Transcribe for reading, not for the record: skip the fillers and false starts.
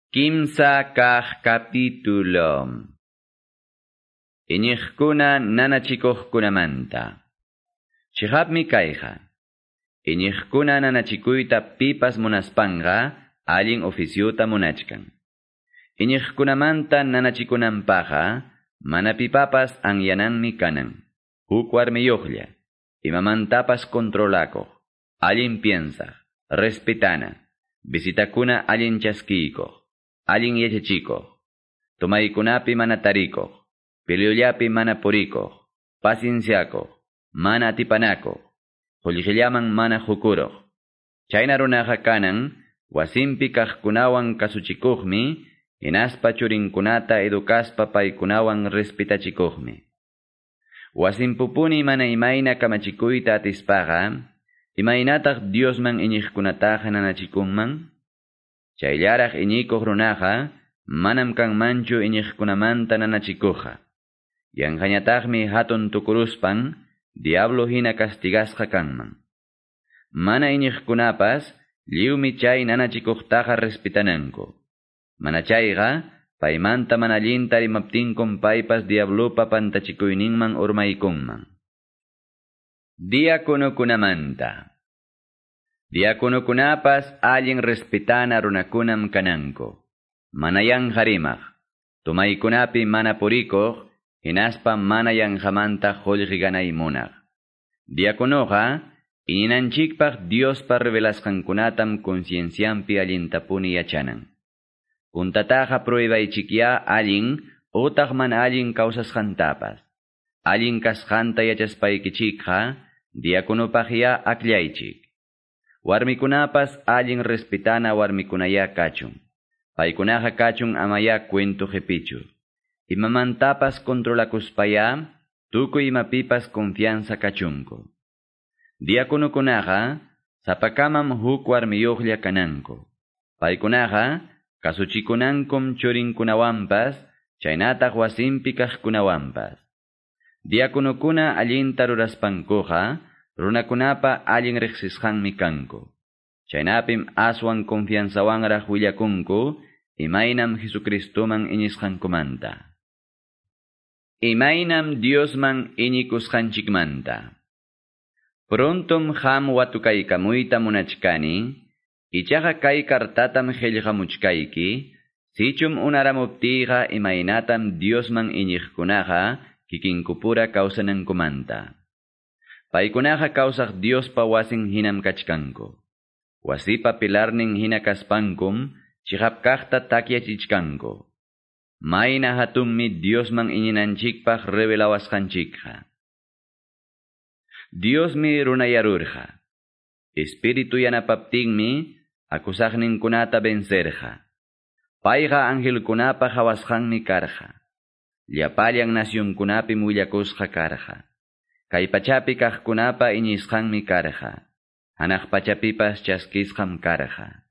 Kimsa kaq capítulo. Iñiqkuna nanachikuqkunamanta. Chiqapmi kayqa. Iñiqkuna nanachikuyta pipas munaspanqa allin oficiuta munachkan. Iñiqkunamanta nanachikunanpaqqa mana pipapas anyananmi kanan. Huk warmiyuqlla, imamantapas controlakuq, allin piensaq, respetana, visitakuna allin chaskiykuq, allin yachachikuq, tomaykunapi mana tarikuq, peleollapi mana purikuq, pacienciakuq, mana atipanakuq, qullqillaman mana hukuruq. Chayna runaqa kanan, wasinpi kaqkunawan kasuchikuqmi, hinaspa churinkunata edukaspa paykunawan respetachikuqmi. Wasinpupuni mana imayna kamachikuyta atispaqa, imaynataq Diosman iñiqkunataqa nanachikunman? Chayllaraq iñikuq runaqa, manam kanmanchu iñiqkunamanta nanachikuqqa. Yanqañataqmi hatun tukuruspan, diablo hina castigasqa kanman. Mana iñiqkunapas, lliwmi chay nanachikuqtaqa respetananku. Mana chayqa, paymanta mana allinta rimaptinkum paypas diablopa pantachikuyninman urmaykunman. Diáconokunamanta. Diáconokunapas allin respetana runakunam kananku. Mana yanqa rimaq, tomaykunapi mana purikuq, hinaspa mana yanqamanta qullqi ganay munaq. Diáconoqa, iñinanchikpaq Diospa revelasqankunatam conciencianpi allintapuni yachanan. Puntataqa pruebaychikyá allin utaq mana allin kawsasqantapas. Allin kasqanta yachaspaykichikqa, diaconopaqyá akllaychik. Warmikunapas allin respetana warmikunayá kachun. Paykunaqa kachun amayá cuento qipichu. Imamantapas controlakuspayá, tukuy imapipas confianza kachunku. Diaconokunaqa, sapakamam huk warmiyuqlla kananku. Paykunaqa, kasuchikunankum churinkunawanpas, chaynataq wasinpi kaqkunawanpas. Diaconokuna allinta ruraspankuqa, runakunapa allin riqsisqanmi kanku. Chaynapim aswan confianzawanraq willakunku, imaynam Jesucristoman iñisqankumanta. Imaynam Diosman iñikusqanchikmanta. Prontom qam watukaykamuyta munachkani, ichaqa kay kartatam qillqamuchkayki, sichum unaramuptiyqa imaynatam Diosman iñiqkunaqa kikinkupura kawsanankumanta. Paykunaqa kawsaq Diospa wasin hinam kachkanku. Wasipa pilarnin hina kaspankum, chiqap kaqta takyachichkanku. Mayna hatunmi Diosman iñinanchikpaq revelawasqanchikqa. Diosmi runayarurqa. Espíritu yanapaptinmi akusaqninkunata vencerqa. Payqa angelkunapa hawasqanmi karqa. Llapallan nacionkunapim willakusqa karqa. Kay pachapi kaqkunapa iñisqanmi karqa. Hanaq pachapipas chaskisqam karqa.